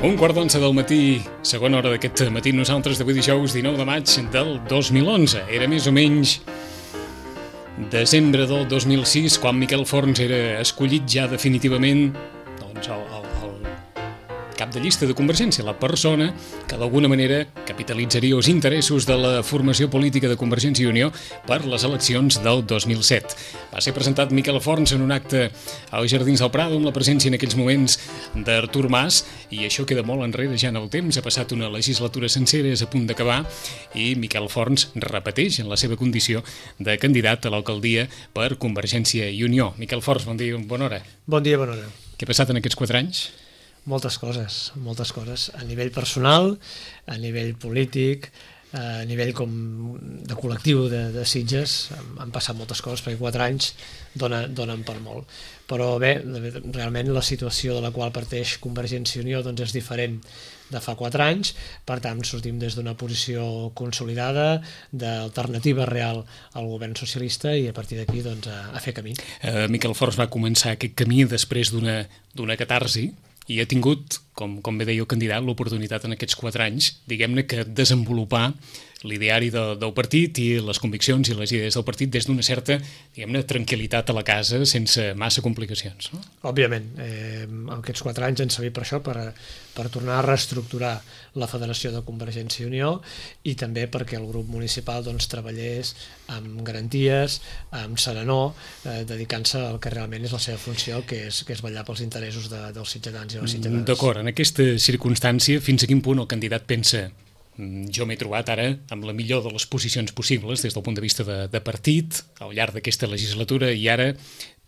Un quart d'onze del matí, segona hora d'aquest matí, nosaltres d'avui dijous 19 de maig del 2011. Era més o menys desembre del 2006, quan Miquel Forns era escollit ja definitivament el cap de llista de Convergència, la persona que d'alguna manera capitalitzaria els interessos de la formació política de Convergència i Unió per les eleccions del 2007. Va ser presentat Miquel Forns en un acte als Jardins del Prado amb la presència en aquells moments d'Artur Mas, i això queda molt enrere ja en el temps. Ha passat una legislatura sencera, és a punt d'acabar, i Miquel Forns repeteix en la seva condició de candidat a l'alcaldia per Convergència i Unió. Miquel Forns, bon dia, bona hora. Bon dia, bona hora. Què ha passat en aquests 4 anys? Moltes coses, a nivell personal, a nivell polític, a nivell com de col·lectiu de Sitges. Han passat moltes coses perquè 4 anys donen per molt. Però bé, realment la situació de la qual parteix Convergència i Unió doncs és diferent de fa 4 anys, per tant sortim des d'una posició consolidada, d'alternativa real al govern socialista, i a partir d'aquí doncs, a fer camí. Miquel Forns va començar aquest camí després d'una catarsi, i ha tingut, com bé deia el candidat, l'oportunitat en aquests 4 anys, diguem-ne, que desenvolupar l'ideari del partit i les conviccions i les idees del partit des d'una certa, diguem-ne, tranquil·litat a la casa, sense massa complicacions, no? Òbviament, aquests 4 anys han servit per això, per tornar a reestructurar la Federació de Convergència i Unió, i també perquè el grup municipal doncs, treballés amb garanties, amb serenor, dedicant-se al que realment és la seva funció, que és vetllar pels interessos dels ciutadans i les ciutadanes. D'acord, en aquesta circumstància, fins a quin punt el candidat pensa: jo m'he trobat ara amb la millor de les posicions possibles des del punt de vista de partit al llarg d'aquesta legislatura, i ara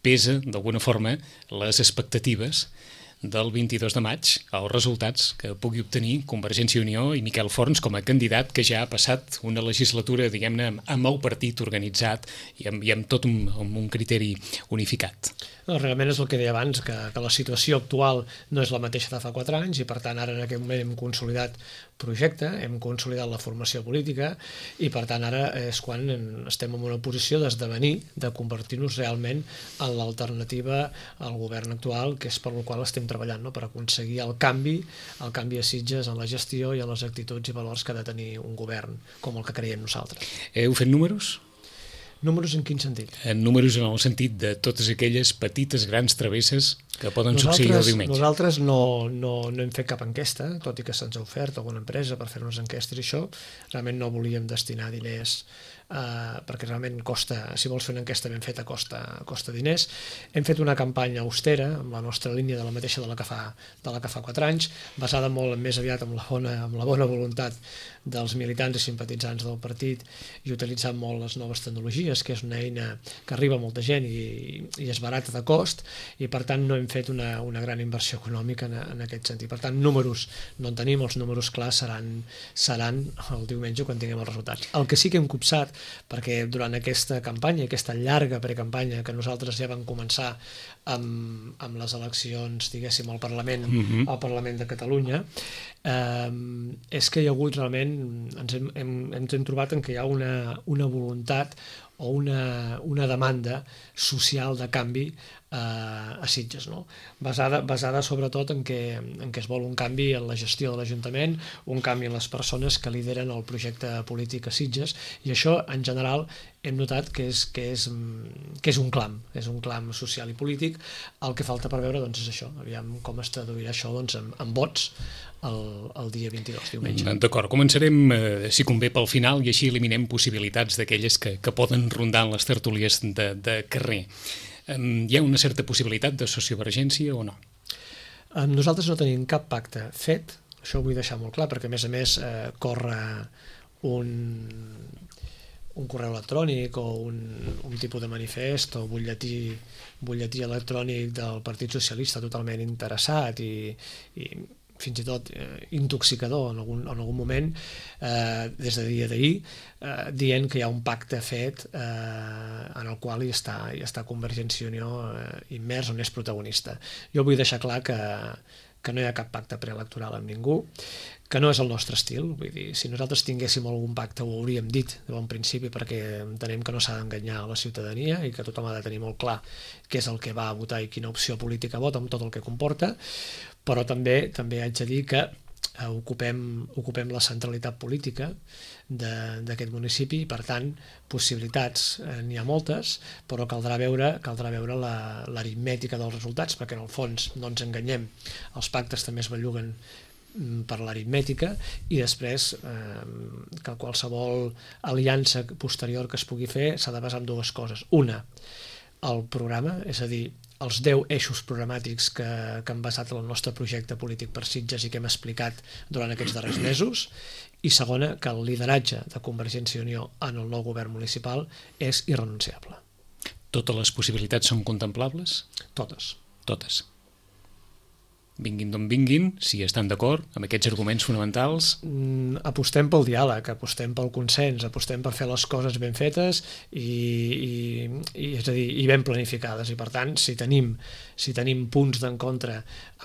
pesa d'alguna forma les expectatives del 22 de maig, els resultats que pugui obtenir Convergència i Unió i Miquel Forns com a candidat que ja ha passat una legislatura, diguem-ne, amb el partit organitzat i amb tot un criteri unificat? No, realment és el que deia abans, que la situació actual no és la mateixa de fa 4 anys, i per tant ara en aquest moment hem consolidat projecte, hem consolidat la formació política, i per tant ara és quan estem en una posició d'esdevenir, de convertir-nos realment en l'alternativa al govern actual, que és per la qual estem treballant, no? Per aconseguir el canvi a Sitges en la gestió i en les actituds i valors que ha de tenir un govern com el que creiem nosaltres. Heu fet números? Números en quin sentit? Números en el sentit de totes aquelles petites, grans travesses que poden succeir el diumenge. Nosaltres no hem fet cap enquesta, tot i que se'ns ha ofert alguna empresa per fer-nos enquestes i això. Realment no volíem destinar diners perquè realment costa, si vols fer una enquesta ben feta costa diners. Hem fet una campanya austera amb la nostra línia de la mateixa de la que fa 4 anys, basada molt més aviat amb la bona voluntat dels militants i simpatitzants del partit, i utilitzant molt les noves tecnologies, que és una eina que arriba a molta gent i és barata de cost, i per tant no hem fet una gran inversió econòmica en aquest sentit. Per tant, números no en tenim, els números clars seran el diumenge quan tinguem els resultats. El que sí que hem copsat, perquè durant aquesta campanya, aquesta llarga precampanya que nosaltres ja vam començar amb les eleccions, diguéssim, al Parlament de Catalunya, és que hi ha hagut realment, ens hem trobat en que hi ha una voluntat o una demanda social de canvi a Sitges, no? Basada sobretot en que es vol un canvi en la gestió de l'Ajuntament, un canvi en les persones que lideren el projecte polític a Sitges, i això en general hem notat que és un clam social i polític. El que falta per veure doncs, és això, aviam com es traduirà això doncs, en vots el dia 22, diumenge. D'acord, començarem, si convé, pel final, i així eliminem possibilitats d'aquelles que poden rondar en les tertúlies de carrer. Hi ha una certa possibilitat de sociovergència o no? Nosaltres no tenim cap pacte fet, això ho vull deixar molt clar, perquè a més corre un correu electrònic o un tipus de manifest o butlletí electrònic del Partit Socialista totalment interessat i fins i tot intoxicador en algun moment, des de dia d'ahir, dient que hi ha un pacte fet en el qual hi està Convergència i Unió immers, on és protagonista. Jo vull deixar clar que que no hi ha cap pacte preelectoral amb ningú, que no és el nostre estil. Vull dir, si nosaltres tinguéssim algun pacte ho hauríem dit de bon principi, perquè entenem que no s'ha d'enganyar a la ciutadania i que tothom ha de tenir molt clar què és el que va a votar i quina opció política vota amb tot el que comporta, però també haig de dir que ocupem la centralitat política d'aquest municipi i, per tant, possibilitats n'hi ha moltes, però caldrà veure l'aritmètica dels resultats, perquè en el fons, no ens enganyem, els pactes també es belluguen per l'aritmètica, i després que qualsevol aliança posterior que es pugui fer s'ha de basar en dues coses. Una, el programa, és a dir, els 10 eixos programàtics que han basat el nostre projecte polític per Sitges i que hem explicat durant aquests darrers mesos, i segona, que el lideratge de Convergència i Unió en el nou govern municipal és irrenunciable. Totes les possibilitats són contemplables? Totes. Totes. Vinguin d'on vinguin, si estan d'acord amb aquests arguments fonamentals. Apostem pel diàleg, apostem pel consens, apostem per fer les coses ben fetes i és a dir, i ben planificades, i per tant, si tenim punts d'encontre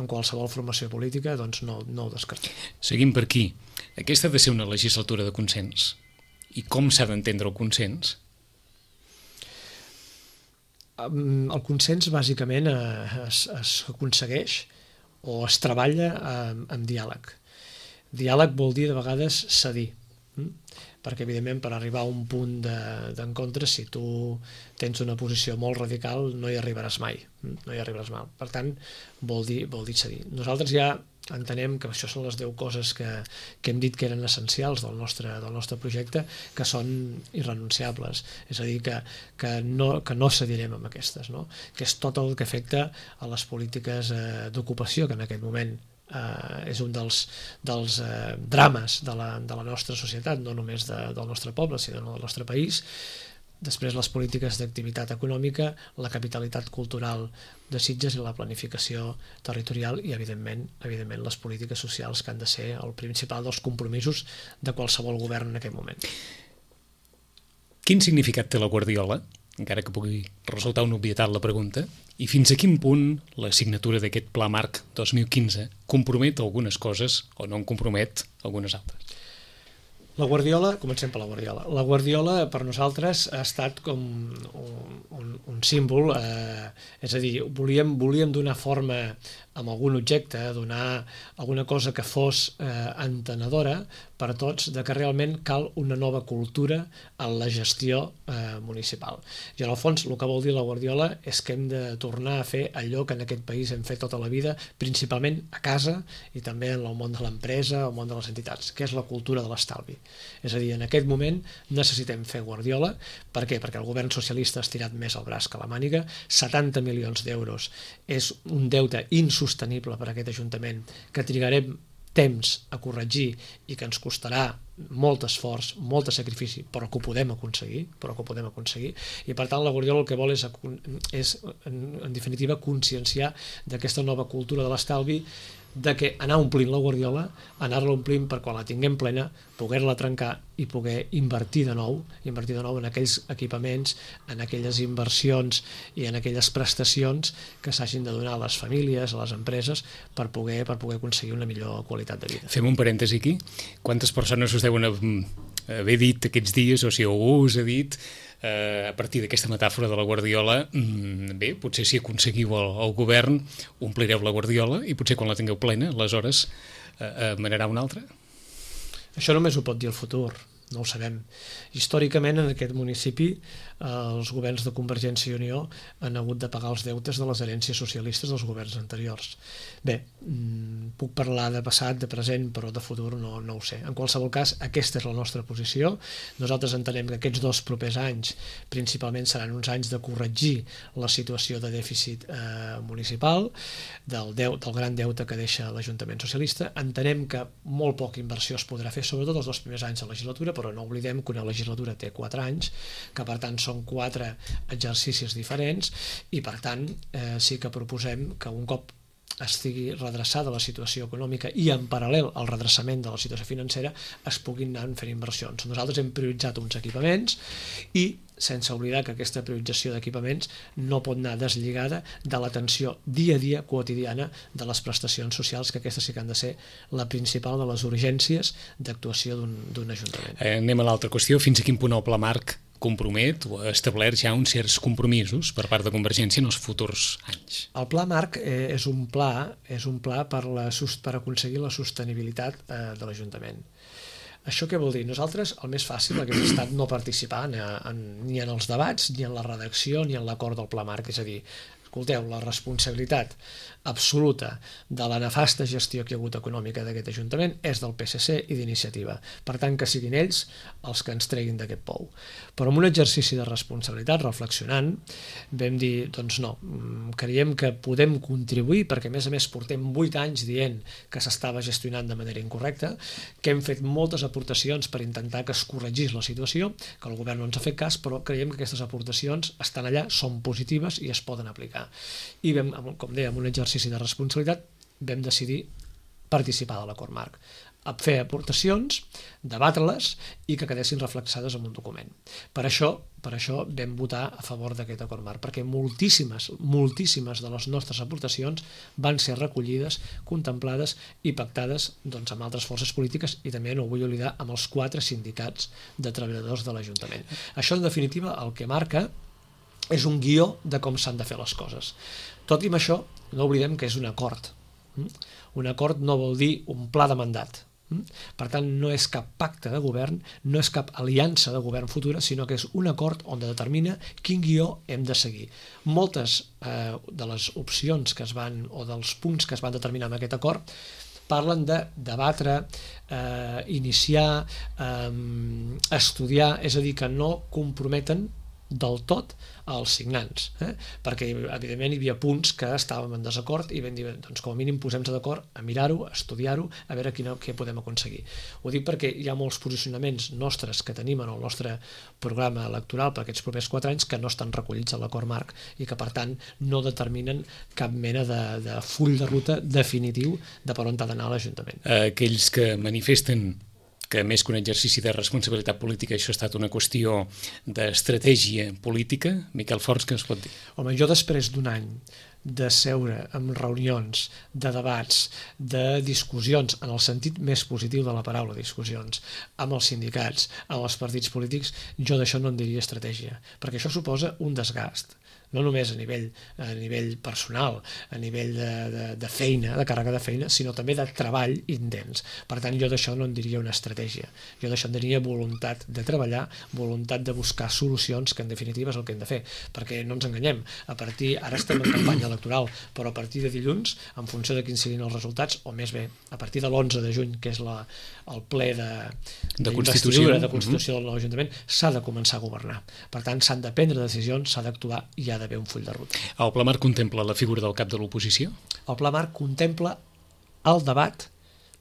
amb qualsevol formació política, doncs no ho descartem. Seguim per aquí. Aquesta ha de ser una legislatura de consens. I com s'ha d'entendre el consens? El consens bàsicament es aconsegueix o es treballa amb diàleg. Diàleg vol dir de vegades cedir, perquè evidentment per arribar a un punt d'encontre, si tu tens una posició molt radical, no hi arribaràs mai. Per tant, vol dir cedir. Nosaltres ja entenem que això són les 10 coses que hem dit que eren essencials del nostre projecte, que són irrenunciables, és a dir, que no cedirem amb aquestes, no? Que és tot el que afecta a les polítiques d'ocupació, que en aquest moment és un dels drames de la nostra societat, no només del nostre poble, sinó del nostre país. Després les polítiques d'activitat econòmica, la capitalitat cultural de Sitges i la planificació territorial i, evidentment, les polítiques socials, que han de ser el principal dels compromisos de qualsevol govern en aquest moment. Quin significat té la Guardiola, encara que pugui resultar una obvietat la pregunta, i fins a quin punt la signatura d'aquest Pla Marc 2015 compromet algunes coses o no en compromet algunes altres? La Guardiola, comencem per la Guardiola. La Guardiola per nosaltres ha estat com un símbol, és a dir, volíem donar forma amb algun objecte, donar alguna cosa que fos entenedora per a tots de que realment cal una nova cultura en la gestió municipal. I en el fons el que vol dir la Guardiola és que hem de tornar a fer allò que en aquest país hem fet tota la vida, principalment a casa i també en el món de l'empresa, el món de les entitats, que és la cultura de l'estalvi. És a dir, en aquest moment necessitem fer Guardiola. Per què? Perquè el govern socialista ha estirat més el braç que la màniga. 70 milions d'euros és un deute insostenible per a aquest Ajuntament que trigarem temps a corregir i que ens costarà molt esforç, molt sacrifici, però que ho podem aconseguir, i per tant la Guardiola el que vol és en definitiva conscienciar d'aquesta nova cultura de l'estalvi, de que anar omplint la Guardiola, anar-la omplint per quan la tinguem plena, poder-la trencar i poder invertir de nou en aquells equipaments, en aquelles inversions i en aquelles prestacions que s'hagin de donar a les famílies, a les empreses, per poder aconseguir una millor qualitat de vida. Fem un parèntesi aquí. Quantes persones us deuen haver dit aquests dies, o si algú us ha dit, a partir d'aquesta metàfora de la Guardiola, bé, potser si aconseguiu el govern, omplireu la Guardiola i potser quan la tingueu plena, aleshores manarà una altra? Això només ho pot dir el futur, no ho sabem. Històricament en aquest municipi els governs de Convergència i Unió han hagut de pagar els deutes de les herències socialistes dels governs anteriors. Bé, puc parlar de passat, de present, però de futur no ho sé. En qualsevol cas, aquesta és la nostra posició. Nosaltres entenem que aquests 2 propers anys principalment seran uns anys de corregir la situació de dèficit municipal, del gran deute que deixa l'Ajuntament socialista. Entenem que molt poca inversió es podrà fer, sobretot els 2 primers anys de legislatura, però no oblidem que una legislatura té 4 anys, que per tant són 4 exercicis diferents, i per tant sí que proposem que un cop estigui redreçada la situació econòmica i en paral·lel al redreçament de la situació financera es puguin anar fent inversions. Nosaltres hem prioritzat uns equipaments i sense oblidar que aquesta priorització d'equipaments no pot anar deslligada de l'atenció dia a dia quotidiana de les prestacions socials, que aquestes sí que han de ser la principal de les urgències d'actuació d'un ajuntament. Anem a l'altra qüestió. Fins a quin punt el Pla Marc compromet o ha establert ja uns certs compromisos per part de Convergència en els futurs anys? El Pla Marc és un pla per aconseguir la sostenibilitat de l'Ajuntament. Això què vol dir? Nosaltres el més fàcil hauria estat no participar ni en els debats, ni en la redacció, ni en l'acord del Pla Marc, és a dir, escolteu, la responsabilitat absoluta de la nefasta gestió que hi ha hagut econòmica d'aquest Ajuntament és del PSC i d'Iniciativa. Per tant, que siguin ells els que ens treguin d'aquest pou. Però en un exercici de responsabilitat, reflexionant, vam dir, doncs no, creiem que podem contribuir, perquè a més portem 8 anys dient que s'estava gestionant de manera incorrecta, que hem fet moltes aportacions per intentar que es corregís la situació, que el govern no ens ha fet cas, però creiem que aquestes aportacions estan allà, són positives i es poden aplicar. I vam, com deia, en un exercici de responsabilitat, vam decidir participar de l'acord marc, a fer aportacions, debatre-les i que quedessin reflexades en un document. Per això vam votar a favor d'aquest acord marc, perquè moltíssimes de les nostres aportacions van ser recollides, contemplades i pactades amb altres forces polítiques i també, no ho vull oblidar, amb els 4 sindicats de treballadors de l'Ajuntament. Això, en definitiva, el que marca és un guió de com s'han de fer les coses. Tot i amb això, no oblidem que és un acord. Un acord no vol dir un pla de mandat. Per tant, no és cap pacte de govern, no és cap aliança de govern futura, sinó que és un acord on determina quin guió hem de seguir. Moltes de les opcions que es van, o dels punts que es van determinar en aquest acord, parlen de debatre, iniciar, estudiar, és a dir, que no comprometen del tot als signants, perquè evidentment hi havia punts que estàvem en desacord i vam dir, doncs com a mínim posem-nos d'acord a mirar-ho, a estudiar-ho, a veure què podem aconseguir. Ho dic perquè hi ha molts posicionaments nostres que tenim en el nostre programa electoral per aquests propers 4 anys que no estan recollits a l'acord marc i que per tant no determinen cap mena de full de ruta definitiu de per on ha d'anar l'Ajuntament. Aquells que manifesten que més que un exercici de responsabilitat política això ha estat una qüestió d'estratègia política. Miquel Forns, què ens pot dir? Home, jo després d'un any de seure en reunions, de debats, de discussions, en el sentit més positiu de la paraula, discussions, amb els sindicats, amb els partits polítics, jo d'això no en diria estratègia, perquè això suposa un desgast. No només a nivell personal, a nivell de feina, de càrrega de feina, sinó també de treball intens. Per tant, jo d'això no en diria una estratègia. Jo d'això en diria voluntat de treballar, voluntat de buscar solucions, que en definitiva és el que hem de fer. Perquè no ens enganyem, ara estem en campanya electoral, però a partir de dilluns, en funció de quins siguin els resultats, o més bé, a partir de l'11 de juny, que és el ple de Constitució del nou Ajuntament, s'ha de començar a governar. Per tant, s'han de prendre decisions, s'ha d'actuar i hi ha d'haver un full de ruta. El Pla Marc contempla la figura del cap de l'oposició? El Pla Marc contempla el debat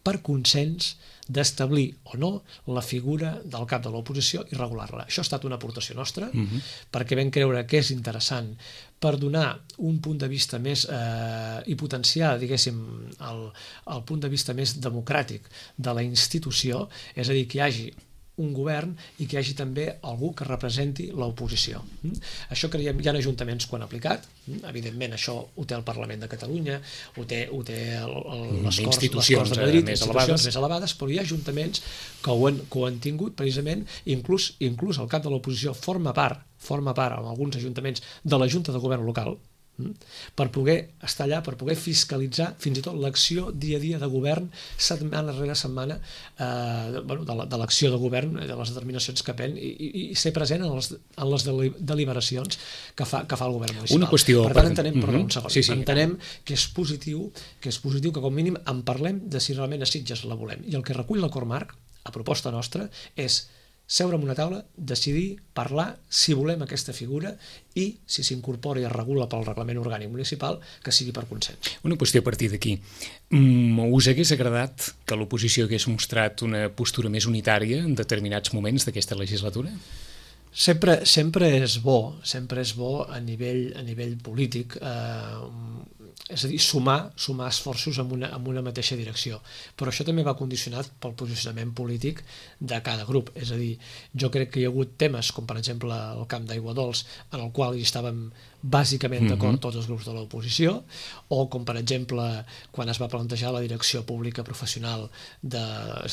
per consens d'establir o no la figura del cap de l'oposició i regular-la. Això ha estat una aportació nostra, perquè vam creure que és interessant per donar un punt de vista més i potenciar, diguéssim, el punt de vista més democràtic de la institució, és a dir, que hi hagi un govern i que hi hagi també algú que representi l'oposició. Això creiem, hi ha ajuntaments que ho han aplicat, evidentment això ho té el Parlament de Catalunya, ho té les Corts de Madrid, institucions més elevades, però hi ha ajuntaments que ho han tingut precisament, inclús el cap de l'oposició forma part en alguns ajuntaments de la Junta de Govern local, per poder estar allà, per poder fiscalitzar fins i tot l'acció dia a dia de govern, setmana rere setmana, de l'acció de govern, de les determinacions que pren, i ser present en les deliberacions que fa el govern municipal. Una qüestió... Per tant, entenem que és positiu que com mínim en parlem de si realment a Sitges la volem. I el que recull l'acord marc, a proposta nostra, és seure en una taula, decidir, parlar si volem aquesta figura i si s'incorpora i es regula pel reglament orgànic municipal, que sigui per consens. Una qüestió a partir d'aquí. Us hagués agradat que l'oposició hagués mostrat una postura més unitària en determinats moments d'aquesta legislatura? Sempre és bo a nivell polític és a dir, sumar esforços en una mateixa direcció. Però això també va condicionat pel posicionament polític de cada grup. És a dir, jo crec que hi ha hagut temes, com per exemple el camp d'Aigua Dols, en el qual hi estàvem bàsicament d'acord tots els grups de l'oposició, o com per exemple quan es va plantejar la direcció pública professional, és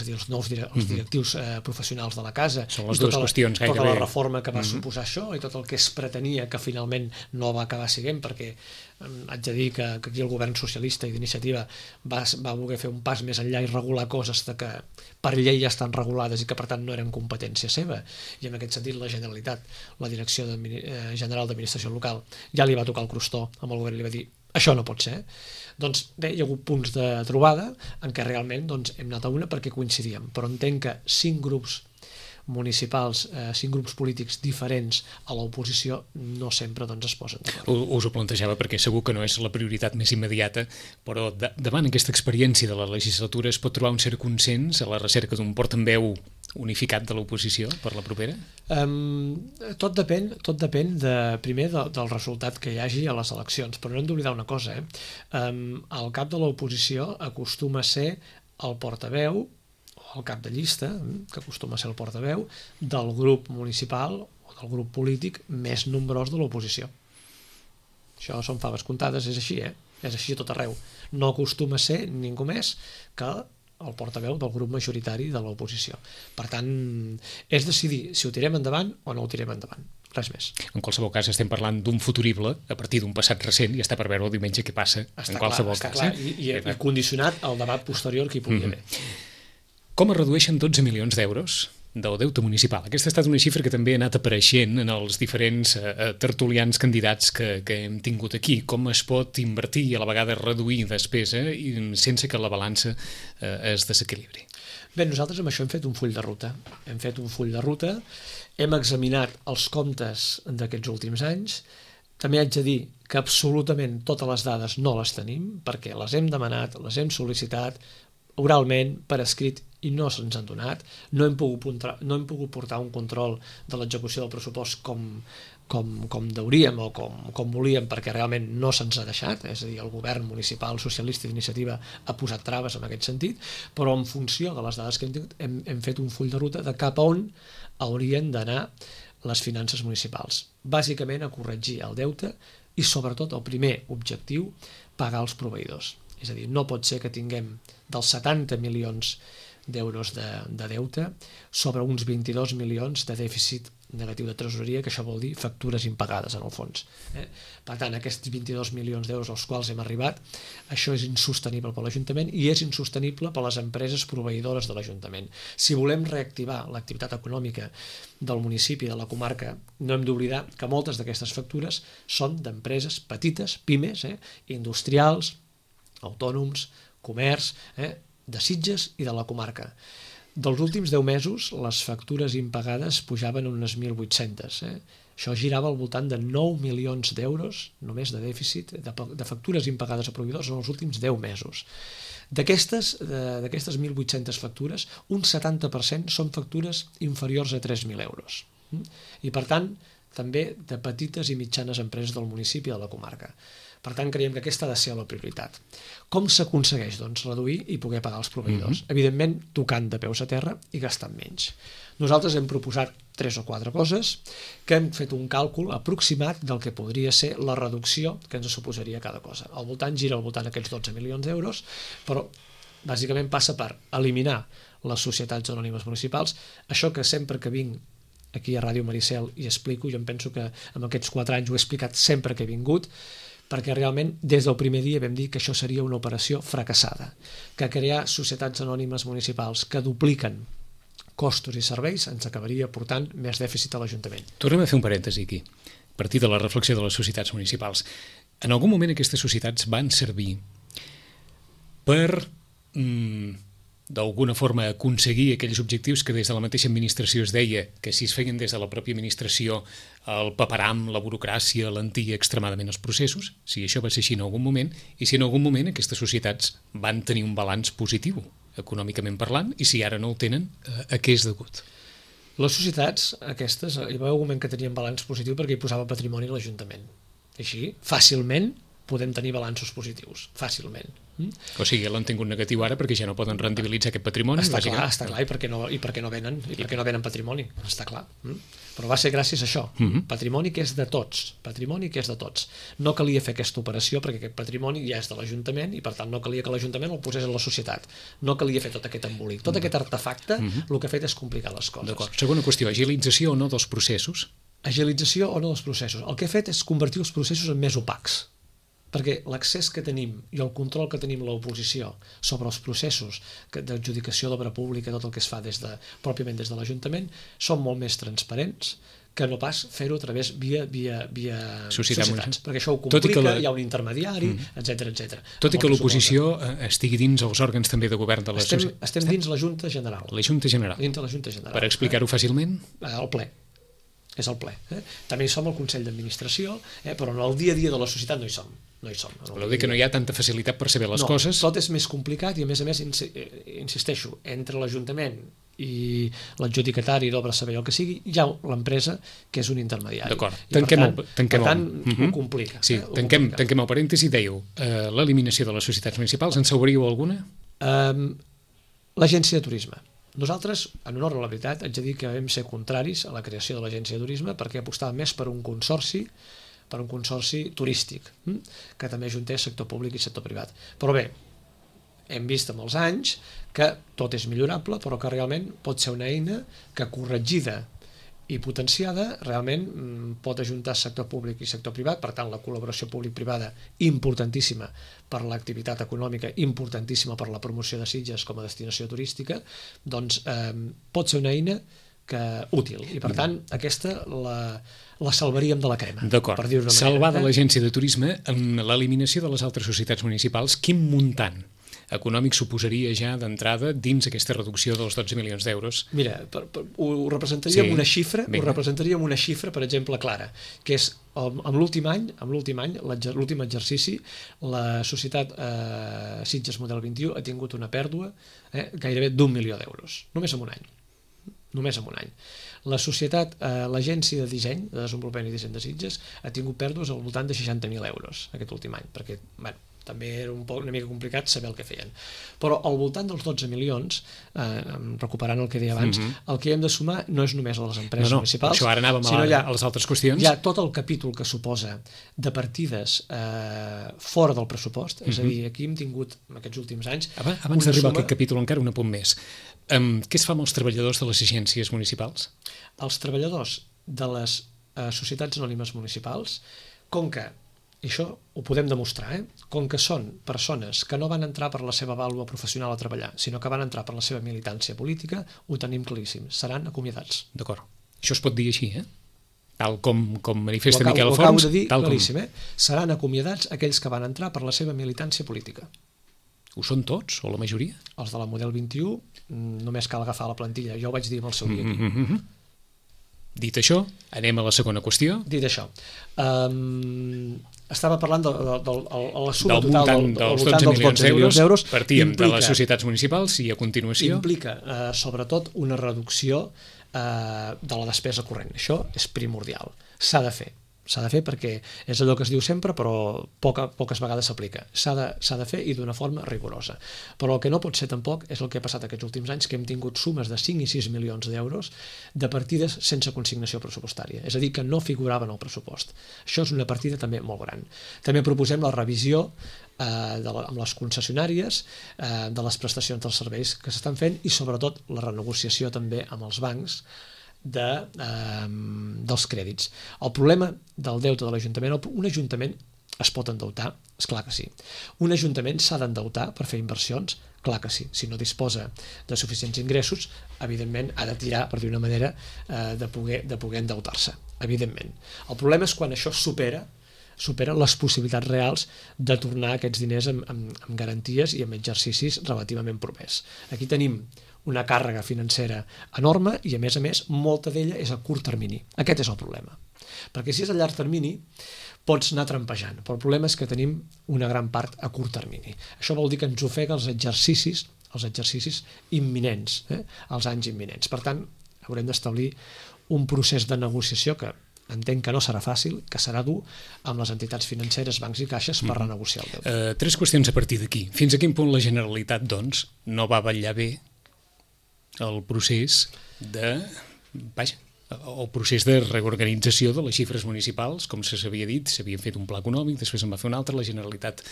a dir, els nous directius professionals de la casa, són les dues qüestions gairebé. Tota la reforma que va suposar això i tot el que es pretenia que finalment no va acabar sent, perquè haig de dir que aquí el govern socialista i d'iniciativa va voler fer un pas més enllà i regular coses que per llei ja estan regulades i que per tant no eren competència seva, i en aquest sentit la Generalitat, la Direcció General d'Administració Local, ja li va tocar el crostó amb el govern i li va dir això no pot ser. Doncs bé, hi ha hagut punts de trobada en què realment hem anat a una perquè coincidíem, però entenc que 5 grups municipals, 5 grups polítics diferents a l'oposició no sempre es posen d'acord. Us ho plantejava perquè segur que no és la prioritat més immediata, però davant aquesta experiència de la legislatura es pot trobar un cert consens a la recerca d'un portaveu unificat de l'oposició per la propera? Tot depèn primer del resultat que hi hagi a les eleccions, però no hem d'oblidar una cosa, el cap de l'oposició acostuma a ser el portaveu, el cap de llista, que acostuma a ser el portaveu, del grup municipal o del grup polític més nombrós de l'oposició. Això són faves comptades, és així, és així a tot arreu. No acostuma a ser ningú més que el portaveu del grup majoritari de l'oposició. Per tant, és decidir si ho tirem endavant o no ho tirem endavant. Res més. En qualsevol cas estem parlant d'un futurible a partir d'un passat recent i està per veure el diumenge què passa en qualsevol cas. Està clar, i condicionat al debat posterior que hi pugui haver. Com es redueixen 12 milions d'euros del deute municipal? Aquesta ha estat una xifra que també ha anat apareixent en els diferents tertulians candidats que hem tingut aquí. Com es pot invertir i a la vegada reduir despesa sense que la balança es desequilibri? Bé, nosaltres amb això hem fet un full de ruta. Hem examinat els comptes d'aquests últims anys. També haig de dir que absolutament totes les dades no les tenim, perquè les hem demanat, les hem sol·licitat oralment, per escrit, i no se'ns han donat. No hem pogut portar un control de l'execució del pressupost com deuríem o com volíem, perquè realment no se'ns ha deixat, és a dir, el govern municipal socialista d'iniciativa ha posat traves en aquest sentit, però en funció de les dades que hem fet un full de ruta de cap a on haurien d'anar les finances municipals. Bàsicament a corregir el deute i sobretot el primer objectiu, pagar els proveïdors. És a dir, no pot ser que tinguem dels 70 milions d'euros de deute sobre uns 22 milions de dèficit negatiu de tresoreria, que això vol dir factures impagades en el fons. Per tant, aquests 22 milions d'euros als quals hem arribat, això és insostenible per l'Ajuntament i és insostenible per les empreses proveïdores de l'Ajuntament. Si volem reactivar l'activitat econòmica del municipi, de la comarca, no hem d'oblidar que moltes d'aquestes factures són d'empreses petites, pimes, industrials, autònoms, comerç, de Sitges i de la comarca. Dels últims 10 mesos, les factures impagades pujaven unes 1.800. Això girava al voltant de 9 milions d'euros, només de dèficit, de factures impagades a proveïdors en els últims 10 mesos. D'aquestes 1.800 factures, un 70% són factures inferiors a 3.000 euros. I, per tant, també de petites i mitjanes empreses del municipi i de la comarca. Per tant, creiem que aquesta ha de ser la prioritat. Com s'aconsegueix, doncs, reduir i poder pagar els proveïdors? Evidentment, tocant de peus a terra i gastant menys. Nosaltres hem proposat 3 o 4 coses que hem fet un càlcul aproximat del que podria ser la reducció que ens suposaria cada cosa. Gira al voltant d'aquests 12 milions d'euros, però bàsicament passa per eliminar les societats anònimes municipals, això que sempre que vinc aquí a Ràdio Maricel i explico, jo em penso que en aquests 4 anys ho he explicat sempre que he vingut, perquè realment des del primer dia vam dir que això seria una operació fracassada, que crear societats anònimes municipals que dupliquen costos i serveis ens acabaria portant més dèficit a l'Ajuntament. Tornem a fer un parèntesi aquí, a partir de la reflexió de les societats municipals. En algun moment aquestes societats van servir per d'alguna forma aconseguir aquells objectius que des de la mateixa administració es deia que si es feien des de la pròpia administració el paperam, la burocràcia, lentia extremadament els processos, si això va ser així en algun moment, i si en algun moment aquestes societats van tenir un balanç positiu, econòmicament parlant, i si ara no el tenen, a què és degut? Les societats aquestes, hi va haver un moment que tenien balanç positiu perquè hi posava patrimoni a l'Ajuntament. Així, fàcilment, podem tenir balanços positius, fàcilment. O sigui, l'han tingut negatiu ara perquè ja no poden rendibilitzar aquest patrimoni. Està clar, i per què no venen patrimoni, està clar. Però va ser gràcies a això, patrimoni que és de tots, no calia fer aquesta operació perquè aquest patrimoni ja és de l'Ajuntament i per tant no calia que l'Ajuntament el posés en la societat, no calia fer tot aquest embolic, tot aquest artefacte el que ha fet és complicar les coses. D'acord. Segona qüestió, agilització o no dels processos? Agilització o no dels processos. El que ha fet és convertir els processos en més opacs, perquè l'accés que tenim i el control que tenim l'oposició sobre els processos d'adjudicació d'obra pública, tot el que es fa pròpiament des de l'Ajuntament, són molt més transparents que no pas fer-ho a través via societats, perquè això ho complica, hi ha un intermediari, etc. Tot i que l'oposició estigui dins els òrgans també de govern de la societat. Estem dins la Junta General. La Junta General. Per explicar-ho fàcilment? El ple. És el ple. També hi som al Consell d'Administració, però en el dia a dia de la societat no hi som. Voleu dir que no hi ha tanta facilitat per saber les coses? Tot és més complicat i a més insisteixo, entre l'Ajuntament i l'adjudicatari d'obra servei el que sigui, hi ha l'empresa que és un intermediari. D'acord, tanquem per tant, ho complica. Sí, tanquem el parèntesi, dèieu l'eliminació de les societats municipals, en sabríeu alguna? L'Agència de Turisme. Nosaltres, en honor a la veritat, haig de dir que vam ser contraris a la creació de l'Agència de Turisme perquè apostàvem més per un consorci turístic, que també ajuntés sector públic i sector privat. Però bé, hem vist amb els anys que tot és millorable, però que realment pot ser una eina que corregida i potenciada realment pot ajuntar sector públic i sector privat, per tant la col·laboració públic-privada importantíssima per l'activitat econòmica, importantíssima per la promoció de Sitges com a destinació turística, doncs pot ser una eina útil i per tant aquesta la salvaríem de la crema. D'acord, salvada l'Agència de Turisme amb l'eliminació de les altres societats municipals, quin muntant econòmic suposaria ja d'entrada dins aquesta reducció dels 12 milions d'euros? Mira, ho representaria amb una xifra, per exemple, clara, que és amb l'últim any, l'últim exercici, la societat Sitges Model 21 ha tingut una pèrdua gairebé d'1 milió d'euros, només en un any. La societat, l'agència de disseny, de desenvolupament i disseny de Sitges, ha tingut pèrdues al voltant de 60.000 euros aquest últim any, perquè, també era una mica complicat saber el que feien. Però al voltant dels 12 milions, recuperant el que deia abans, el que hem de sumar no és només a les empreses municipals, això ara anàvem a les altres qüestions. Hi ha tot el capítol que suposa de partides fora del pressupost, és a dir, aquí hem tingut, en aquests últims anys... Abans d'arribar a aquest capítol encara un apunt més. Què es fa amb els treballadors de les agències municipals? Els treballadors de les societats anònimes municipals, com que, i això ho podem demostrar, com que són persones que no van entrar per la seva vàlua professional a treballar, sinó que van entrar per la seva militància política, ho tenim claríssim, seran acomiadats. D'acord. Això es pot dir així, tal com manifesta Miquel Forns. Ho acabo de dir claríssim, seran acomiadats aquells que van entrar per la seva militància política. Ho són tots, o la majoria? Els de la Model 21, només cal agafar la plantilla, jo ho vaig dir amb el seu dia aquí. Dit això, anem a la segona qüestió. Dit això, estava parlant de la suma total dels 12 milions d'euros. Partíem de les societats municipals i a continuació... Implica, sobretot, una reducció de la despesa corrent. Això és primordial. S'ha de fer perquè és allò que es diu sempre, però poques vegades s'aplica. S'ha de fer i d'una forma rigorosa. Però el que no pot ser tampoc és el que ha passat aquests últims anys, que hem tingut sumes de 5 i 6 milions d'euros de partides sense consignació pressupostària, és a dir, que no figuraven al pressupost. Això és una partida també molt gran. També proposem la revisió amb les concessionàries de les prestacions dels serveis que s'estan fent i sobretot la renegociació també amb els bancs dels crèdits. El problema del deute de l'Ajuntament, un Ajuntament es pot endeutar? Esclar que sí. Un Ajuntament s'ha d'endeutar per fer inversions? Clar que sí. Si no disposa de suficients ingressos, evidentment ha de tirar, per dir una manera, de poder endeutar-se, evidentment. El problema és quan això supera les possibilitats reals de tornar aquests diners amb garanties i amb exercicis relativament propers. Aquí tenim una càrrega financera enorme i, a més, molta d'ella és a curt termini. Aquest és el problema. Perquè si és a llarg termini, pots anar trampejant, però el problema és que tenim una gran part a curt termini. Això vol dir que ens ofega els exercicis imminents, els anys imminents. Per tant, haurem d'establir un procés de negociació que entenc que no serà fàcil, que serà dur amb les entitats financeres, bancs i caixes per renegociar el deute. 3 qüestions a partir d'aquí. Fins a quin punt la Generalitat, doncs, no va vetllar bé el procés de... Vaja, el procés de reorganització de les xifres municipals, com s'havia dit, s'havien fet un pla econòmic, després en va fer un altre, la Generalitat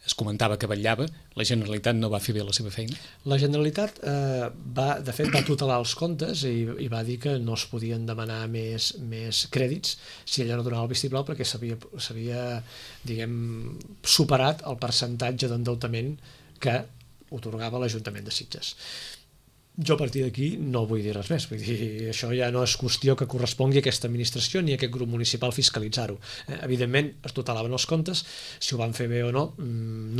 es comentava que vetllava, la Generalitat no va fer bé la seva feina? La Generalitat, de fet, va tutelar els comptes i va dir que no es podien demanar més crèdits si ella no donava el vistiplau perquè s'havia, diguem, superat el percentatge d'endeutament que otorgava l'Ajuntament de Sitges. Jo a partir d'aquí no vull dir res més, vull dir, això ja no és qüestió que correspongui a aquesta administració ni a aquest grup municipal fiscalitzar-ho. Evidentment es tutelaven els comptes, si ho van fer bé o no,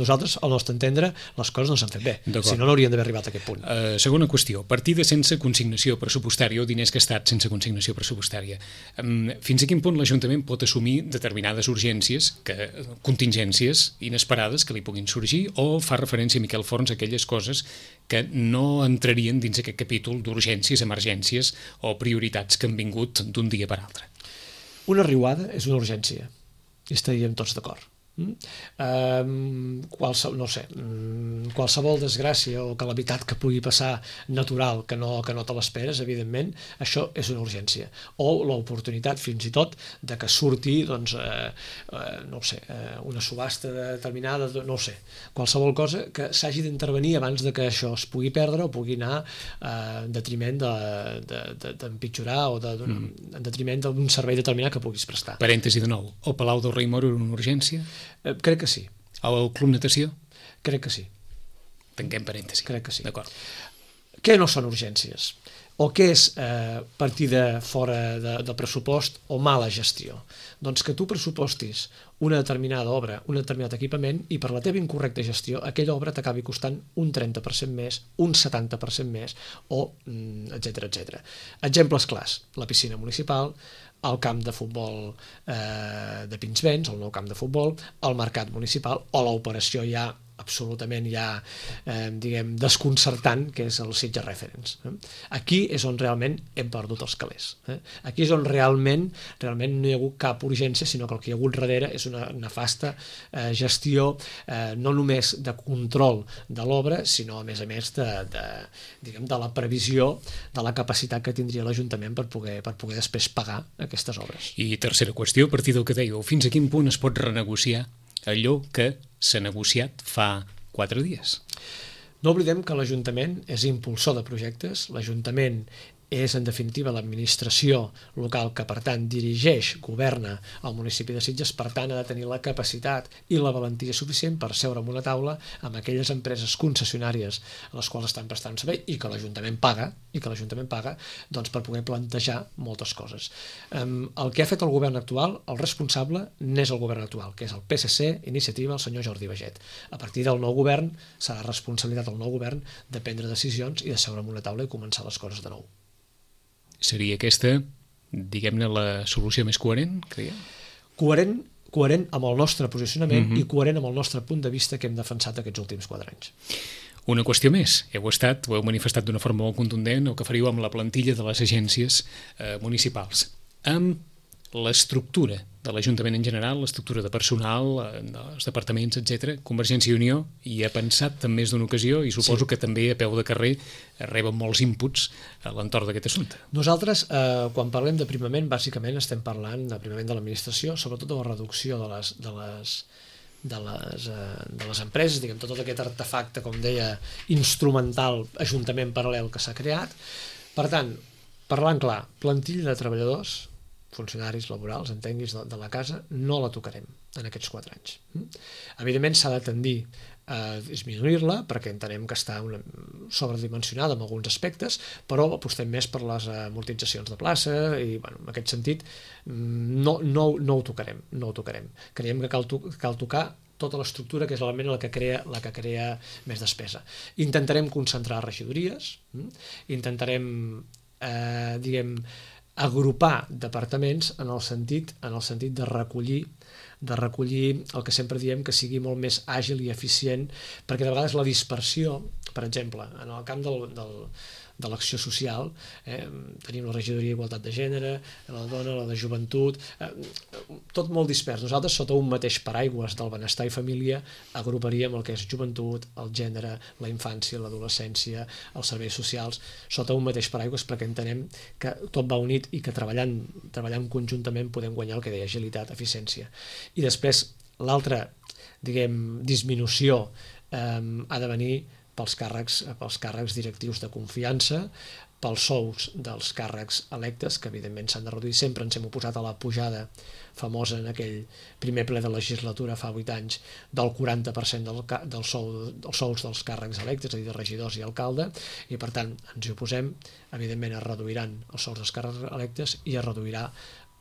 nosaltres, al nostre entendre, les coses no s'han fet bé, si no, no haurien d'haver arribat a aquest punt. Segona qüestió, partida sense consignació pressupostària o diners gastats sense consignació pressupostària. Fins a quin punt l'Ajuntament pot assumir determinades urgències, contingències inesperades que li puguin sorgir, o fa referència a Miquel Forns a aquelles coses que no entrarien dins aquest capítol d'urgències, emergències o prioritats que han vingut d'un dia per altre? Una riuada és una urgència, i estaríem tots d'acord. Qualsevol desgràcia o calamitat que pugui passar natural que no te l'esperes, evidentment, això és una urgència, o l'oportunitat fins i tot de que surti una subhasta determinada, no ho sé, qualsevol cosa que s'hagi d'intervenir abans de que això es pugui perdre o pugui anar en detriment d'empitjorar o en detriment d'un servei determinat que puguis prestar. Parèntesi de nou, el Palau del Rei Moro era una urgència? Crec que sí. El Club Natació? Crec que sí. Tanquem parèntesi. Crec que sí. D'acord. Què no són urgències? O què és partida fora del pressupost o mala gestió? Doncs que tu pressupostis una determinada obra, un determinat equipament i per la teva incorrecta gestió aquella obra t'acabi costant un 30% més, un 70% més o etcètera. Exemples clars, la piscina municipal, el camp de futbol de Pinsbens, el nou camp de futbol, el mercat municipal o l'operació absolutament desconcertant, que és el Sitges Reference. Aquí és on realment hem perdut els calés. Aquí és on realment no hi ha hagut cap urgència, sinó que el que hi ha hagut darrere és una nefasta gestió, no només de control de l'obra, sinó a més de la previsió de la capacitat que tindria l'Ajuntament per poder després pagar aquestes obres. I tercera qüestió, a partir del que dèieu, fins a quin punt es pot renegociar allò que s'ha negociat fa 4 dies? No oblidem que l'Ajuntament és impulsor de projectes, l'Ajuntament és, en definitiva, l'administració local que, per tant, dirigeix, governa el municipi de Sitges, per tant, ha de tenir la capacitat i la valentia suficient per seure en una taula amb aquelles empreses concessionàries a les quals estan prestant servei i que l'Ajuntament paga, doncs per poder plantejar moltes coses. El que ha fet el govern actual, el responsable, n'és el govern actual, que és el PSC, Iniciativa, el senyor Jordi Baget. A partir del nou govern, serà responsabilitat del nou govern de prendre decisions i de seure en una taula i començar les coses de nou. Seria aquesta, diguem-ne, la solució més coherent, creieu? Coherent amb el nostre posicionament i coherent amb el nostre punt de vista que hem defensat aquests últims 4 anys. Una qüestió més. Ho heu manifestat d'una forma molt contundent, el que faríeu amb la plantilla de les agències municipals. Amb l'estructura de l'Ajuntament en general, l'estructura de personal, dels departaments, etc. Convergència i Unió hi ha pensat en més d'una ocasió i suposo que també a peu de carrer reben molts inputs a l'entorn d'aquest assumpte. Nosaltres, quan parlem d'aprimament, bàsicament estem parlant d'aprimament de l'administració, sobretot de la reducció de les empreses, diguem, tot aquest artefacte, com deia, instrumental, ajuntament paral·lel que s'ha creat. Per tant, parlant clar, plantilla de treballadors, funcionaris laborals, entenguis, de la casa, no la tocarem en aquests 4 anys. Evidentment s'ha de tendir a disminuir-la perquè entenem que està sobredimensionada en alguns aspectes, però apostem més per les amortitzacions de plaça i en aquest sentit no ho tocarem. Creiem que cal tocar tota l'estructura que és l'element la que crea més despesa. Intentarem concentrar regidories, intentarem agrupar departaments en el sentit de recollir el que sempre diem que sigui molt més àgil i eficient, perquè de vegades la dispersió per exemple, en el camp de l'acció social, tenim la regidoria d'Igualtat de Gènere, la dona, la de joventut, tot molt dispers. Nosaltres, sota un mateix paraigües del benestar i família, agruparíem el que és joventut, el gènere, la infància, l'adolescència, els serveis socials, sota un mateix paraigües, perquè entenem que tot va unit i que treballant conjuntament podem guanyar el que deia agilitat, eficiència. I després, l'altra, disminució ha de venir pels càrrecs directius de confiança, pels sous dels càrrecs electes, que evidentment s'han de reduir. Sempre ens hem oposat a la pujada famosa en aquell primer ple de legislatura fa 8 anys del 40% dels sous dels càrrecs electes, és a dir, de regidors i alcalde, i per tant ens hi oposem. Evidentment es reduiran els sous dels càrrecs electes i es reduirà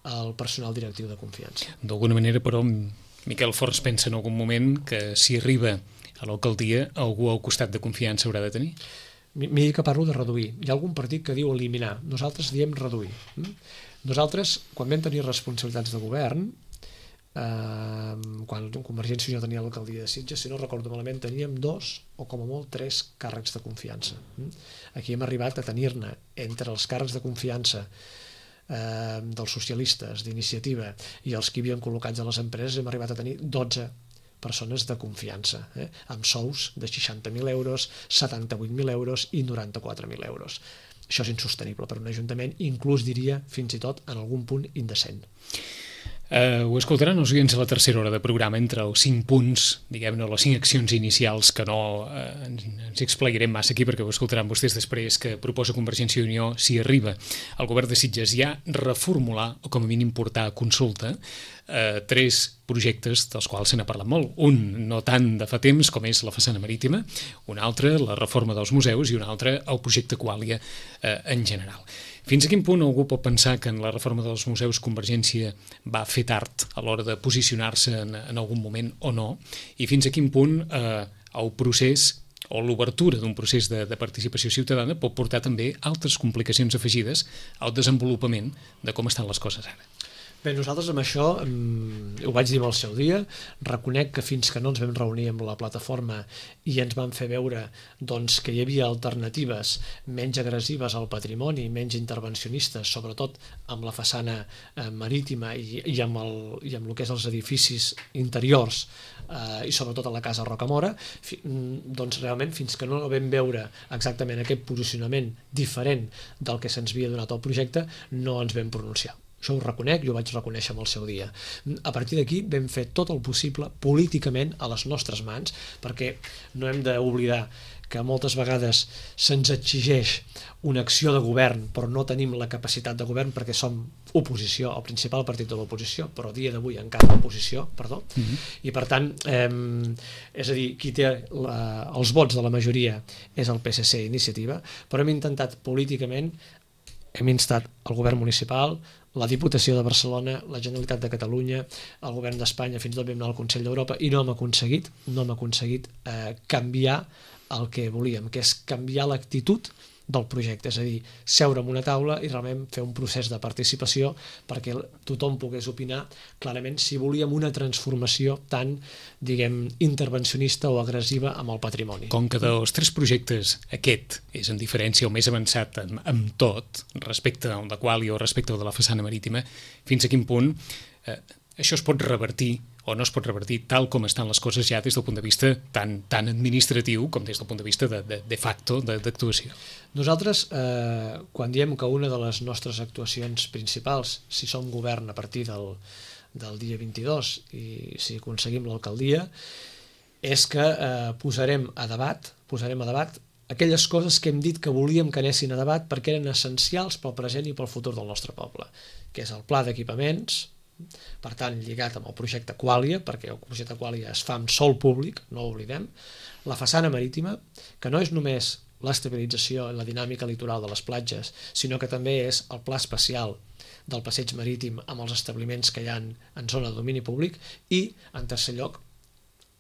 el personal directiu de confiança. D'alguna manera, però, Miquel Forns pensa en algun moment que si arriba a l'alcaldia algú al costat de confiança haurà de tenir? Miri que parlo de reduir. Hi ha algun partit que diu eliminar. Nosaltres diem reduir. Nosaltres, quan vam tenir responsabilitats de govern, quan Convergència i Unió tenia l'alcaldia de Sitges, si no recordo malament, teníem 2 o com a molt 3 càrrecs de confiança. Aquí hem arribat a tenir-ne entre els càrrecs de confiança dels socialistes, d'Iniciativa, i els que hi havien col·locats a les empreses, hem arribat a tenir 12 persones de confiança, amb sous de 60.000 euros, 78.000 euros i 94.000 euros. Això és insostenible per un ajuntament, inclús diria, fins i tot, en algun punt indecent. Ho escoltaran els oients a la tercera hora de programa, entre els 5 punts, diguem-ne, les 5 accions inicials, que no ens explicarem massa aquí perquè ho escoltaran vostès després, que proposa Convergència i Unió si arriba al govern de Sitges ja reformular o com a mínim portar a consulta 3 projectes dels quals se n'ha parlat molt. Un no tant de fa temps com és la façana marítima, un altre la reforma dels museus i un altre el projecte Quàlia en general. Fins a quin punt algú pot pensar que en la reforma dels museus Convergència va fer tard a l'hora de posicionar-se en algun moment o no? I fins a quin punt el procés o l'obertura d'un procés de participació ciutadana pot portar també altres complicacions afegides al desenvolupament de com estan les coses ara? Bé, nosaltres amb això, ho vaig dir al seu dia, reconec que fins que no ens vam reunir amb la plataforma i ens van fer veure que hi havia alternatives menys agressives al patrimoni, menys intervencionistes, sobretot amb la façana marítima i amb el que és els edificis interiors i sobretot a la casa Rocamora, doncs realment fins que no vam veure exactament aquest posicionament diferent del que se'ns havia donat al projecte, no ens vam pronunciar. Això ho reconec, jo ho vaig reconèixer amb el seu dia. A partir d'aquí vam fer tot el possible políticament a les nostres mans, perquè no hem d'oblidar que moltes vegades se'ns exigeix una acció de govern, però no tenim la capacitat de govern perquè som oposició, el principal partit de l'oposició, però a dia d'avui encara oposició, perdó, i per tant, és a dir, qui té els vots de la majoria és el PSC Iniciativa, però hem intentat políticament, hem instat el govern municipal, la Diputació de Barcelona, la Generalitat de Catalunya, el govern d'Espanya, fins i tot vam anar al Consell d'Europa i no hem aconseguit canviar el que volíem, que és canviar l'actitud del projecte, és a dir, seure en una taula i realment fer un procés de participació perquè tothom pogués opinar clarament si volíem una transformació tan, intervencionista o agressiva amb el patrimoni. Com que dels 3 projectes aquest és en diferència o més avançat amb tot, respecte al de Quàlia o respecte al de la façana marítima, fins a quin punt això es pot revertir o no es pot revertir tal com estan les coses ja des del punt de vista tan administratiu com des del punt de vista de facto d'actuació. Nosaltres, quan diem que una de les nostres actuacions principals, si som govern a partir del dia 22 i si aconseguim l'alcaldia, és que posarem a debat aquelles coses que hem dit que volíem que anessin a debat perquè eren essencials pel present i pel futur del nostre poble, que és el pla d'equipaments, per tant lligat amb el projecte Quàlia, perquè el projecte Quàlia es fa amb sòl públic, no ho oblidem, la façana marítima, que no és només l'estabilització i la dinàmica litoral de les platges, sinó que també és el pla especial del passeig marítim amb els establiments que hi ha en zona de domini públic i, en tercer lloc,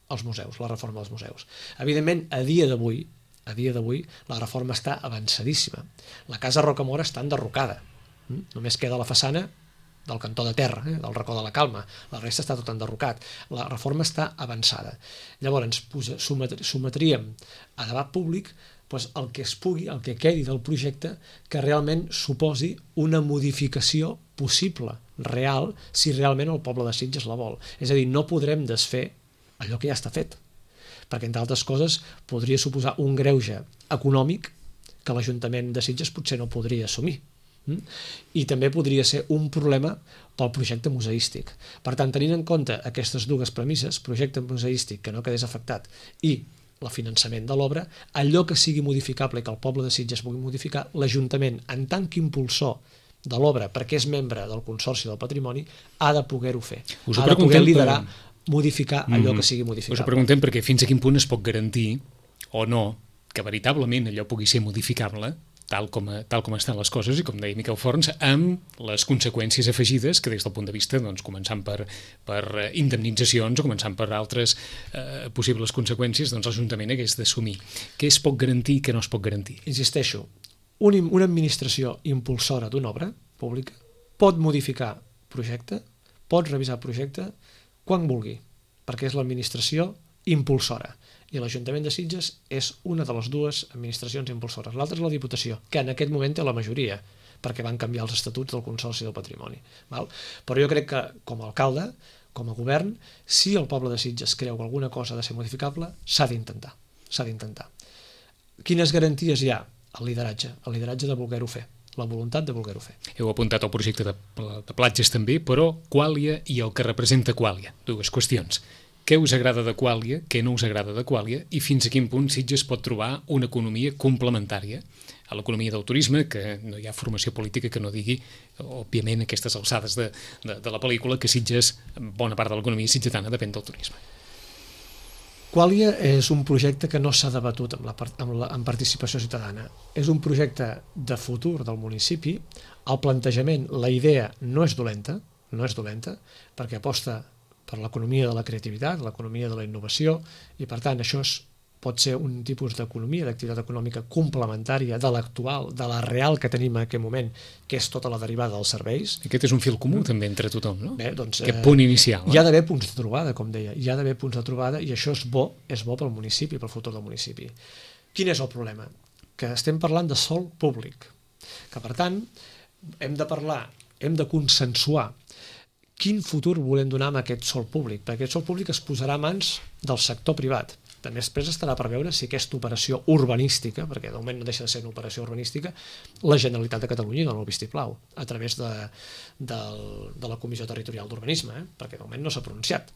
els museus, la reforma dels museus. Evidentment, a dia d'avui, la reforma està avançadíssima. La casa Rocamora està enderrocada. Només queda la façana del cantó de terra, del racó de la Calma. La resta està tot enderrocat. La reforma està avançada. Llavors sotmetríem a debat públic el que es pugui, el que quedi del projecte, que realment suposi una modificació possible, real, si realment el poble de Sitges la vol. És a dir, no podrem desfer allò que ja està fet, perquè, entre altres coses, podria suposar un greuge econòmic que l'Ajuntament de Sitges potser no podria assumir. I també podria ser un problema pel projecte museístic. Per tant, tenint en compte aquestes dues premisses, projecte museístic que no quedés afectat i el finançament de l'obra, allò que sigui modificable i que el poble de Sitges pugui modificar, l'Ajuntament, en tant que impulsor de l'obra, perquè és membre del Consorci del Patrimoni, ha de poder-ho fer. Ha de poder liderar, modificar allò que sigui modificable. Us ho preguntem perquè fins a quin punt es pot garantir o no que veritablement allò pugui ser modificable tal com estan les coses i, com deia Miquel Forns, amb les conseqüències afegides que des del punt de vista, començant per indemnitzacions o començant per altres possibles conseqüències, l'Ajuntament hagués d'assumir. Què es pot garantir i què no es pot garantir? Insisteixo, una administració impulsora d'una obra pública pot modificar projecte, pot revisar projecte quan vulgui, perquè és l'administració impulsora. I l'Ajuntament de Sitges és una de les dues administracions impulsores. L'altra és la Diputació, que en aquest moment té la majoria, perquè van canviar els estatuts del Consorci del Patrimoni. Però jo crec que, com a alcalde, com a govern, si el poble de Sitges creu que alguna cosa ha de ser modificable, s'ha d'intentar. Quines garanties hi ha? El lideratge de voler-ho fer, la voluntat de voler-ho fer. Heu apuntat el projecte de platges també, però Quàlia i el que representa Quàlia, dues qüestions. Què us agrada de Quàlia, què no us agrada de Quàlia i fins a quin punt Sitges pot trobar una economia complementària a l'economia del turisme, que no hi ha formació política que no digui, òbviament, aquestes alçades de la pel·lícula, que Sitges, bona part de l'economia sitgetana depèn del turisme. Quàlia és un projecte que no s'ha debatut amb participació ciutadana. És un projecte de futur del municipi. El plantejament, la idea no és dolenta, perquè aposta per l'economia de la creativitat, l'economia de la innovació, i per tant això pot ser un tipus d'economia, d'activitat econòmica complementària de l'actual, de la real que tenim en aquest moment, que és tota la derivada dels serveis. Aquest és un fil comú també entre tothom, no? Bé, doncs, aquest punt inicial. Hi ha d'haver punts de trobada, com deia, hi ha d'haver punts de trobada i això és bo pel municipi, pel futur del municipi. Quin és el problema? Que estem parlant de sòl públic, que per tant hem de consensuar quin futur volem donar a aquest sòl públic, perquè aquest sòl públic es posarà a mans del sector privat. També després estarà per veure si aquesta operació urbanística, perquè de moment no deixa de ser una operació urbanística, la Generalitat de Catalunya dona el vistiplau a través de la Comissió Territorial d'Urbanisme, perquè de moment no s'ha pronunciat.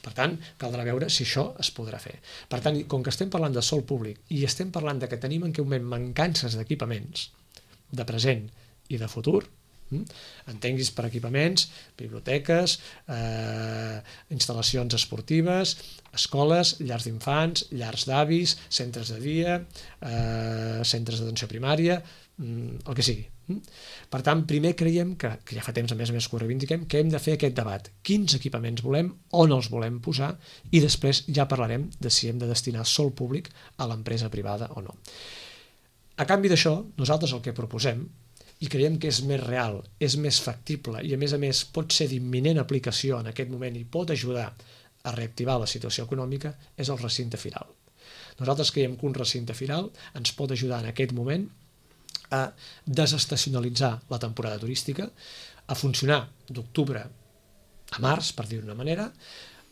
Per tant, caldrà veure si això es podrà fer. Per tant, com que estem parlant de sòl públic i estem parlant que tenim en aquest moment mancances d'equipaments de present i de futur, entenguis per equipaments, biblioteques, instal·lacions esportives, escoles, llars d'infants, llars d'avis, centres de dia, centres d'atenció primària, el que sigui. Per tant, primer creiem que ja fa temps a més que ho reivindiquem, que hem de fer aquest debat. Quins equipaments volem, on els volem posar, i després ja parlarem de si hem de destinar sòl públic a l'empresa privada o no. A canvi d'això, nosaltres el que proposem, i creiem que és més real, és més factible i a més pot ser d'imminent aplicació en aquest moment i pot ajudar a reactivar la situació econòmica, és el recinte firal. Nosaltres creiem que un recinte firal ens pot ajudar en aquest moment a desestacionalitzar la temporada turística, a funcionar d'octubre a març, per dir-ho d'una manera.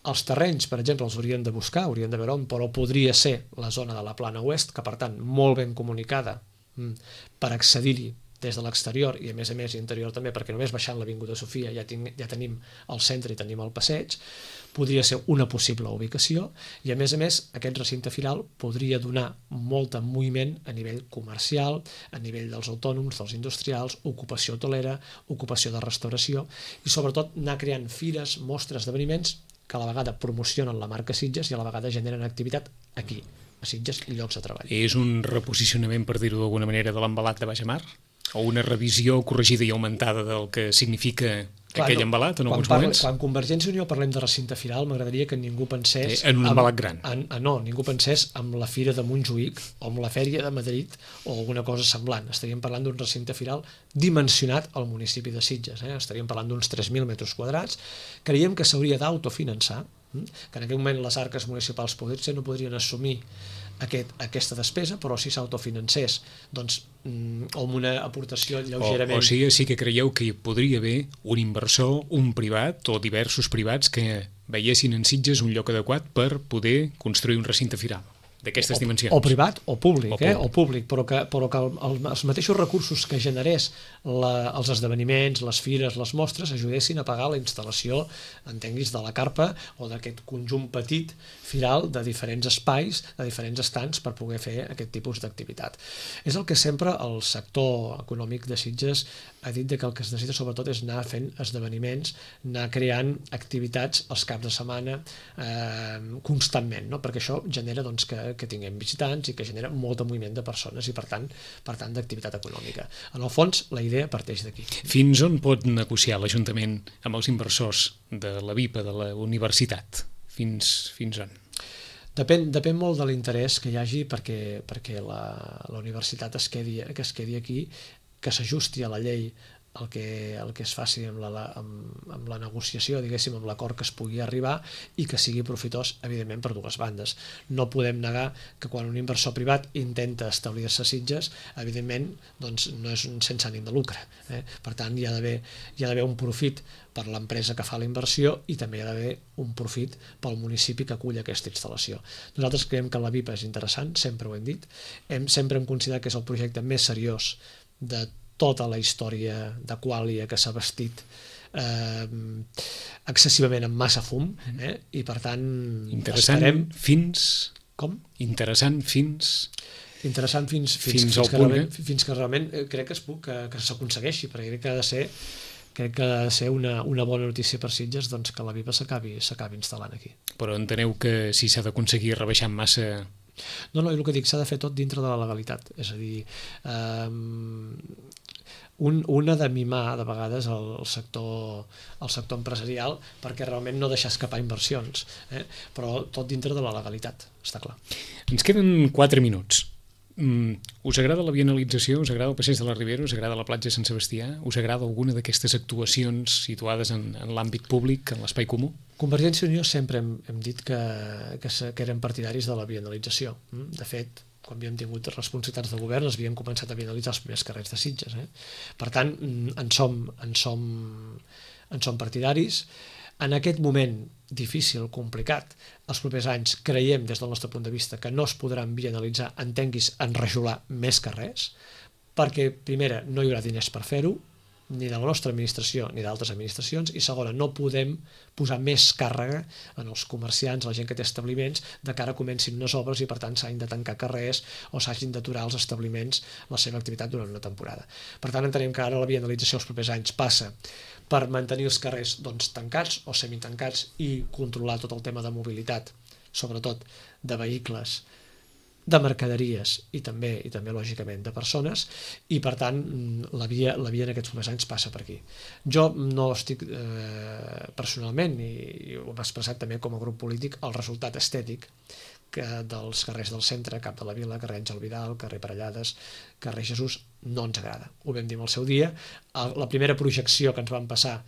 Els terrenys, per exemple, els haurien de buscar, haurien de veure on, però podria ser la zona de la Plana Oest, que per tant molt ben comunicada per accedir-hi des de l'exterior i a més interior també, perquè només baixant l'Avinguda Sofia ja tenim el centre i tenim el passeig, podria ser una possible ubicació i a més aquest recinte firal podria donar molt de moviment a nivell comercial, a nivell dels autònoms, dels industrials, ocupació hotelera, ocupació de restauració i sobretot anar creant fires, mostres, esdeveniments que a la vegada promocionen la marca Sitges i a la vegada generen activitat aquí, a Sitges, i llocs de treball. És un reposicionament, per dir-ho d'alguna manera, de l'embalat de Baix a Mar? O una revisió corregida i augmentada del que significa aquell embalat en alguns moments. Quan Convergència i Unió parlem de recinte firal, m'agradaria que ningú pensés... En un embalat gran. No, ningú pensés en la Fira de Montjuïc o en la Fèria de Madrid o alguna cosa semblant. Estaríem parlant d'un recinte firal dimensionat al municipi de Sitges. Estaríem parlant d'uns 3.000 metres quadrats. Creiem que s'hauria d'autofinançar, que en aquell moment les arques municipals no podrien assumir aquesta despesa, però si s'autofinancés doncs, amb una aportació lleugerament... O sigui, sí que creieu que hi podria haver un inversor, un privat o diversos privats que veiessin en Sitges un lloc adequat per poder construir un recinte firal d'aquestes dimensions. O privat o públic, però que els mateixos recursos que generés els esdeveniments, les fires, les mostres, ajudessin a pagar la instal·lació, entenguis, de la carpa o d'aquest conjunt petit firal de diferents espais, de diferents estants per poder fer aquest tipus d'activitat. És el que sempre el sector econòmic de Sitges ha dit que el que es necessita sobretot és anar fent esdeveniments, anar creant activitats els caps de setmana constantment, perquè això genera que tinguem visitants i que genera molt de moviment de persones i per tant d'activitat econòmica. En el fons la idea parteix d'aquí. Fins on pot negociar l'Ajuntament amb els inversors de la VIPA, de la universitat? Fins on? Depèn molt de l'interès que hi hagi perquè la universitat es quedi aquí, que s'ajusti a la llei el que es faci amb la negociació, diguéssim, amb l'acord que es pugui arribar i que sigui profitós, evidentment, per dues bandes. No podem negar que quan un inversor privat intenta establir-se a Sitges, evidentment, doncs, no és sense ànim de lucre. Per tant, hi ha d'haver un profit per l'empresa que fa la inversió i també hi ha d'haver un profit pel municipi que acull aquesta instal·lació. Nosaltres creiem que la VIPA és interessant, sempre ho hem dit, sempre hem considerat que és el projecte més seriós de tota la història de Qualia que s'ha vestit excessivament amb massa fum i per tant interessant fins... Com? Interessant fins al punt, fins que realment crec que s'aconsegueixi, perquè crec que ha de ser una bona notícia per Sitges que la VIPA s'acabi instal·lant aquí. Però enteneu que si s'ha d'aconseguir rebaixar massa... No, el que dic, s'ha de fer tot dintre de la legalitat, és a dir, un ha de mimar de vegades el sector empresarial perquè realment no deixar escapar inversions, però tot dintre de la legalitat, està clar. Ens queden 4 minuts. Us agrada la bienalització? Us agrada el passeig de la Ribera? Us agrada la platja de Sant Sebastià? Us agrada alguna d'aquestes actuacions situades en l'àmbit públic, en l'espai comú? Convergència i Unió sempre hem dit que eren partidaris de la bienalització. De fet, quan havíem tingut responsabilitats de govern es havien començat a bienalitzar els primers carrers de Sitges. Per tant, en som partidaris. En aquest moment difícil, complicat, els propers anys creiem des del nostre punt de vista que no es podran bienalitzar, entenguis, enrajolar més carrers, perquè, primera, no hi haurà diners per fer-ho, ni de la nostra administració ni d'altres administracions, i segona, no podem posar més càrrega en els comerciants, la gent que té establiments, de cara a comencin unes obres i per tant s'hagin de tancar carrers o s'hagin d'aturar els establiments la seva activitat durant una temporada. Per tant, entenem que ara la bienalització els propers anys passa per mantenir els carrers tancats o semitancats i controlar tot el tema de mobilitat, sobretot de vehicles, de mercaderies i també lògicament de persones, i per tant la via en aquests primers anys passa per aquí. Jo no estic personalment, i ho hem expressat també com a grup polític, el resultat estètic dels carrers del centre, Cap de la Vila, carrer Àngel Vidal, carrer Parellades, carrer Jesús, no ens agrada. Ho vam dir al seu dia. La primera projecció que ens van passar,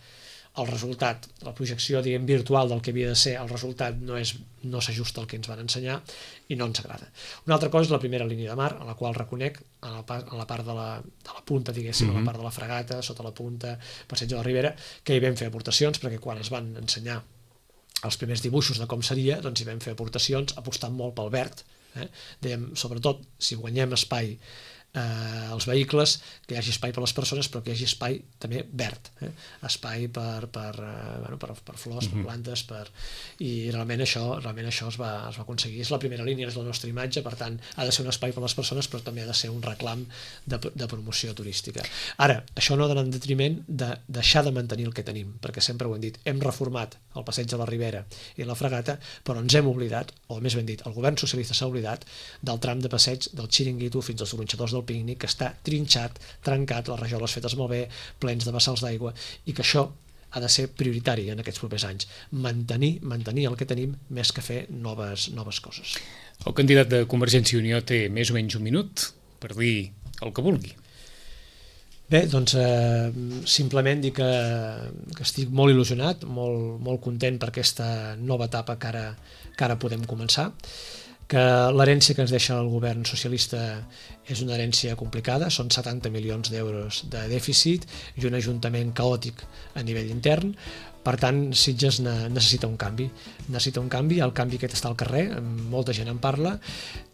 el resultat, la projecció virtual del que havia de ser, el resultat no s'ajusta al que ens van ensenyar i no ens agrada. Una altra cosa és la primera línia de mar, a la qual reconec, a la part de la punta, diguéssim, a la part de la Fragata, sota la punta, passeig de la Ribera, que hi vam fer aportacions, perquè quan es van ensenyar els primers dibuixos de com seria, doncs hi vam fer aportacions apostant molt pel verd. Dèiem, sobretot, si guanyem espai als vehicles, que hi hagi espai per a les persones, però que hi hagi espai també verd, espai per flors, per plantes, i realment això es va aconseguir. És la primera línia, és la nostra imatge, per tant ha de ser un espai per a les persones, però també ha de ser un reclam de promoció turística. Ara, això no ha d'anar en detriment de deixar de mantenir el que tenim, perquè sempre ho hem dit, hem reformat el passeig de la Ribera i la Fragata, però ens hem oblidat, o més ben dit, el govern socialista s'ha oblidat del tram de passeig del Xiringuito fins als gronxadors del Pícnic, que està trinxat, trencat, les rajoles fetes malbé, plens de bassals d'aigua, i que això ha de ser prioritari en aquests propers anys. Mantenir el que tenim més que fer noves coses. El candidat de Convergència i Unió té més o menys un minut per dir el que vulgui. Bé, doncs simplement dir que estic molt il·lusionat, molt content per aquesta nova etapa que ara podem començar, que l'herència que ens deixa el govern socialista és una herència complicada, són 70 milions d'euros de dèficit i un ajuntament caòtic a nivell intern. Per tant, Sitges necessita un canvi. El canvi aquest està al carrer, molta gent en parla,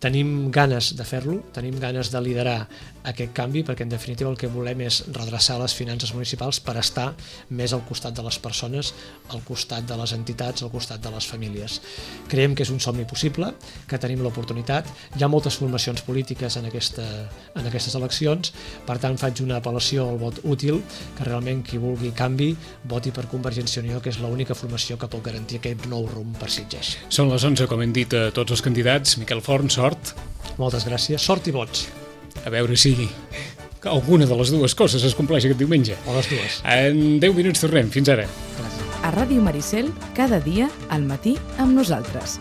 tenim ganes de fer-lo, tenim ganes de liderar aquest canvi, perquè en definitiva el que volem és redreçar les finances municipals per estar més al costat de les persones, al costat de les entitats, al costat de les famílies. Creiem que és un somni possible, que tenim l'oportunitat, hi ha moltes formacions polítiques en aquestes eleccions, per tant faig una apel·lació al vot útil, que realment qui vulgui canvi voti per Convergència i Unió, que és l'única formació que pot garantir aquest nou rumb per Sitges. Són les 11, com hem dit a tots els candidats. Miquel Forn, sort. Moltes gràcies. Sort i vots. A veure si alguna de les dues coses es compleix aquest diumenge. O les dues. En 10 minuts tornem. Fins ara. Gràcies. A Ràdio Maricel, cada dia, al matí, amb nosaltres.